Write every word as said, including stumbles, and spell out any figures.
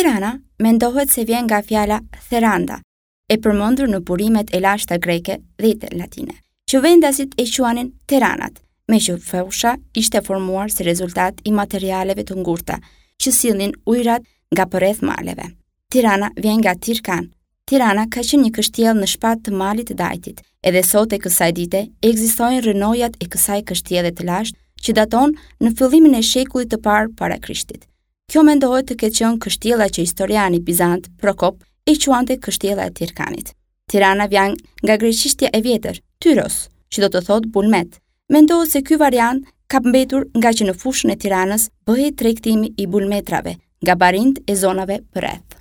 Tirana mendohet se vjen nga fjala Theranda, e përmendur në burimet e lashta greke dhe latine, që vendasit e quanin Teranat, me që fusha ishte formuar si rezultat i materialeve të ngurta që sillnin ujrat nga përreth maleve. Tirana vjen nga Tirkan. Tirana ka qenë një kështjellë në shpat të malit të Dajtit. Edhe sot e kësaj dite ekzistojnë rrënojat e kësaj kështjelle të lashtë që daton në fillimin e shekullit të parë para Krishtit. Kjo mendohet të ketë qenë kështjella që historiani bizant Prokop e quante kështjella e Tirkanit. Tirana vjen nga greqishtja e vjetër, Tyros, që do të thotë bulmet. Mendohet se ky variant ka mbetur nga që në fushën e Tiranës bëhej tregtimi i bulmetrave nga barinjt e zonave përreth.